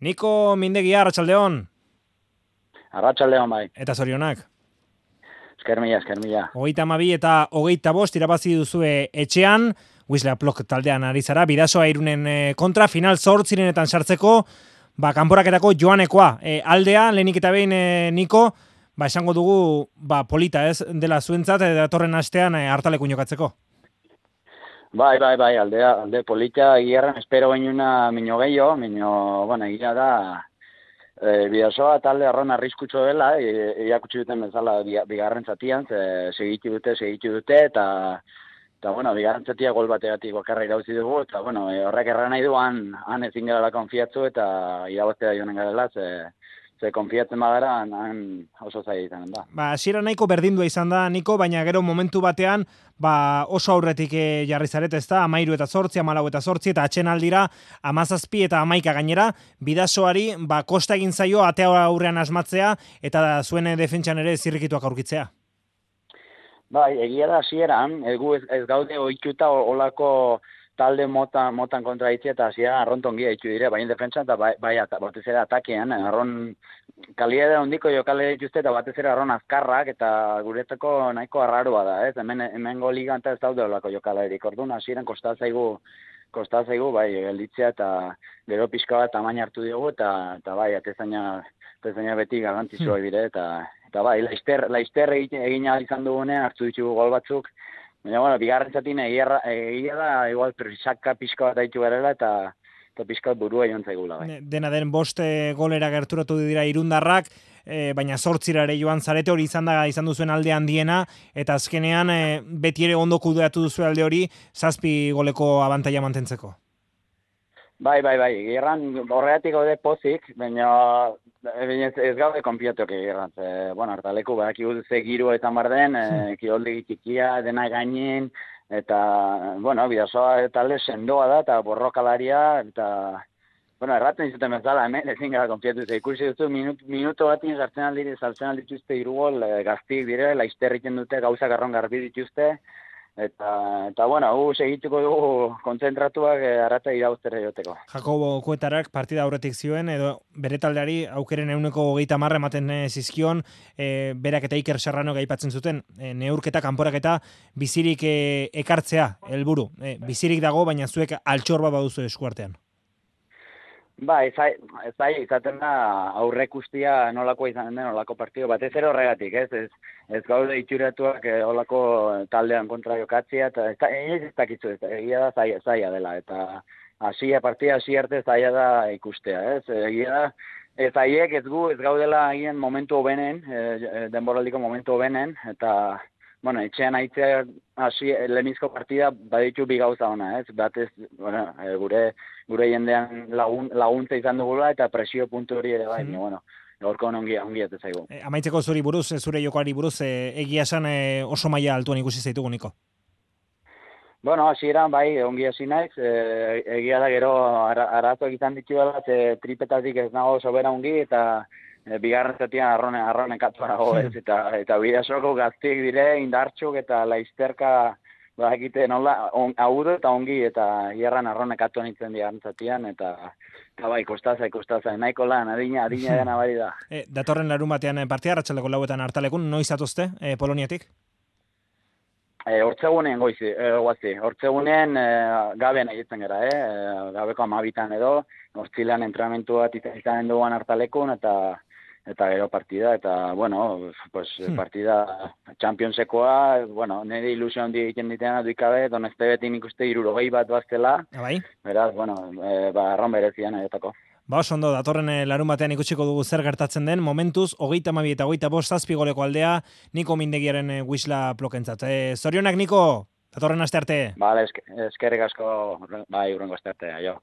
Niko Mindegia, Arratsaldeon. Arratsaldeon bai. Eta zorionak. Eskermila, eskermila. 32 eta 25 irabazi duzue etxean, Wisla Plok taldean ari zara, Bidasoa Irunen kontra, final 8etan sartzeko, kanporaketako joanekoa. Aldea, lehenik eta behin Niko, esango dugu, polita ez, dela zuentzat, datorren astean hartalekun jokatzeko. Bai, alde polita, gierran espero bainuna mino gehiago, bueno, egia da, Bidasoa talde arron arriskutxo dela, iakutsi duten bezala bigarren zatian, segitu dute, eta bueno, bigarren zatia gol bategatik bakarra irauzi dugu, eta bueno, horrek erran nahi duan, han ezin garela konfiatzu, eta irabaztea joanen garela, ze konfiatzen badara, han oso zaila izanen da. Hasiera nahiko berdindua izan da, Niko, baina gero momentu batean, oso aurretik jarri zaret, ez da, 13 eta 8, 14 eta 8, eta atxen aldira, 17 eta 11 gainera, Bidasoari, kosta egin zaio, atea aurrean asmatzea, eta zuen defentsan ere zirrikituak aurkitzea. Bai, egia da hasieran, ez gaude ohituta olako talde motan kontra ditzea, eta hasieran arrontongi ditu dire, baina defentsan eta batez ere atakean, arron kalidade handiko jokale dituzte, eta batez ere arron azkarrak, eta guretzako nahiko arraroa da, ez? Hemengo ligan eta ez daude olako jokalerik, orduan hasieran kosta zaigu, bai, gelditzea, eta gero pixka bat tamaina hartu diogu, eta bai, atezaina beti garrantzitsua dire, eta bai, laizter egin ahal izan dugunean hartu ditugu gol batzuk, baina, bueno, bigarren zatin egia da, igual, prisaka pixka bat haitu garela, eta pixka bat burua joan zaigula. Bai. Dena den 5 golera gerturatu dira irundarrak, baina 8 ere joan zarete, hori izan duzuen alde handiena, eta azkenean beti ere ondo kudeatu duzu alde hori, 7 goleko abantaila mantentzeko. Bai, gerran horregatik gaude pozik, baina ez gaude konpiatuak gerran. Bueno, hartaleku badakigu ze giroa izan bar den, kirolde txikia, dena gainen, eta, bueno, Bidasoa talde sendoa da, eta borrokalaria, eta, bueno, erraten izuten bezala, hemen ezin gara konpiatu. Ikusi duzu, minuto batin sartzen aldituzte 3 gol, gaztik dire, laizter egiten dute, gauzak arron garbi dituzte, eta bueno, segituko dugu kontzentratuak arrata irauztera joteko. Jakobo Kuetarak partida aurretik zioen, edo bere taldeari aukeren 30 ematen zizkion, berak eta Iker Serrano aipatzen zuten, neurketa, kanporaketa, bizirik ekartzea, helburu. Bizirik dago, baina zuek altxor bat baduzu eskuartean. Ba, ezai izaten da aurrekustia nolako izan den olako partido, batez ere horregatik, ez gaude itxuratuak olako taldean kontra jokatzea, eta ez dakizu, egia da zaila dela, eta partida hasi arte zaila da ikustea, egia da, ez gaudela egin momentu hobenen, denboraldiko momentu hobenen, eta bueno, etxean aitzea lehenizko partida baditu bi gauza ona, batez, bueno, gure jendean laguntza izan dugula eta presio puntu hori ere bai, bueno, gaurko ongi ez zaigu. Amaitzeko zuri buruz, zure jokoari buruz, egia esan oso maila altuan ikusi zaitugu, Niko. Bueno, hasieran bai, ongi hasi naiz, egia da gero arazoak izan ditu dela, tripetatik ez nago sobera ongi, eta bigarren zatian arronen katuarago, eta Bidasoko gaztiek dire, indartxuk eta laizterka egite nola, agudo eta ongi, eta hierran arronek atuan itzen bigarren zatian, eta bai, kostaza, nahiko lan, adina dena bari da. Datorren larun batean partia, Arratsaldeko 4etan hartalekun, noiz atozte, Poloniatik? Hortzegunen guazi, hortzegunen gabean egiten gara, gabeko 12 edo, hortzilean entrenamentu bat izanen duguan hartalekun, eta gero partida, eta, bueno, pues, partida Championsekoa, bueno, nire ilusio handi egiten ditena duikabe, donezte beti nik uste 60 bat baztela, beraz, bueno, arron berezian egotako. Oso ondo, datorren larun batean ikusiko dugu zer gertatzen den, momentuz, 32 eta 25 7 goleko aldea, Niko Mindegiaren Wisla Plokentzat. Zorionak, Niko, datorren aste arte. Bale, eskerrik asko, bai, urrengo aste arte, aio.